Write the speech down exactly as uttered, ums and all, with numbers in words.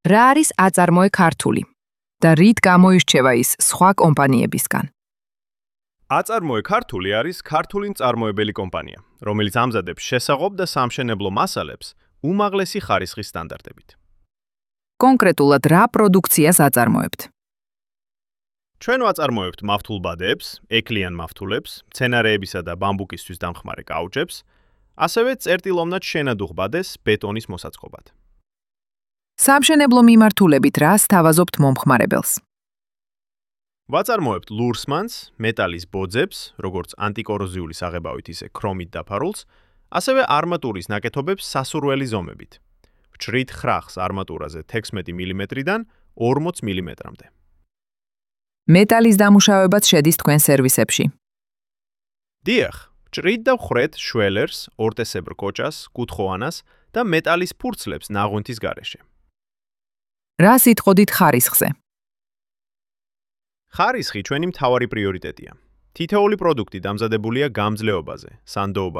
რა არის აწარმოე ქართული და რით გამოირჩევა ის სხვა კომპანიებისგან? აწარმოე ქართული არის ქართული მწარმოებელი კომპანია, რომელიც ამზადებს შესაყოფ და სამშენებლო მასალებს უმაღლესი ხარისხის სტანდარტებით. კონკრეტულად რა პროდუქციას აწარმოებთ? ჩვენ ვაწარმოებთ მავთულბადეებს, ეკლიან მავთულებს, მცენარეებისა და ბამბუკისთვის დამხმარე კაუჩებს, ასევე წერტილოვნად შენადუღბადეს ბეტონის მოსაწყობად. სამშენებლო მიმართულებით რა სთავაზობთ მომხმარებელს? ვაწარმოებთ ლურსმანს, მეტალის ბოძებს, როგორც ანტიკოროზიული საღებავით, ისე ქრომით დაფარულს, ასევე არმატურის ნაკეთობებს სასურველი ზომებით. ვჭრით ხრახს არმატურაზე თექვსმეტი მილიმეტრიდან ორმოც მილიმეტრამდე. მეტალის დამუშავებაც შედის თქვენ სერვისებში. დიახ, ვჭრით და ვხრეთ შველერს, ორტესებრ კოჭას, კუთხოვანას და მეტალის ფურცლებს ნაღვენთის გარეშე. რა სიტყოდით ხარისხზე? ხარისხი ჩვენი მთავარი პრიორიტეტია. თითოეული პროდუქტი დამზადებულია გამძლეობაზე, სანდოობა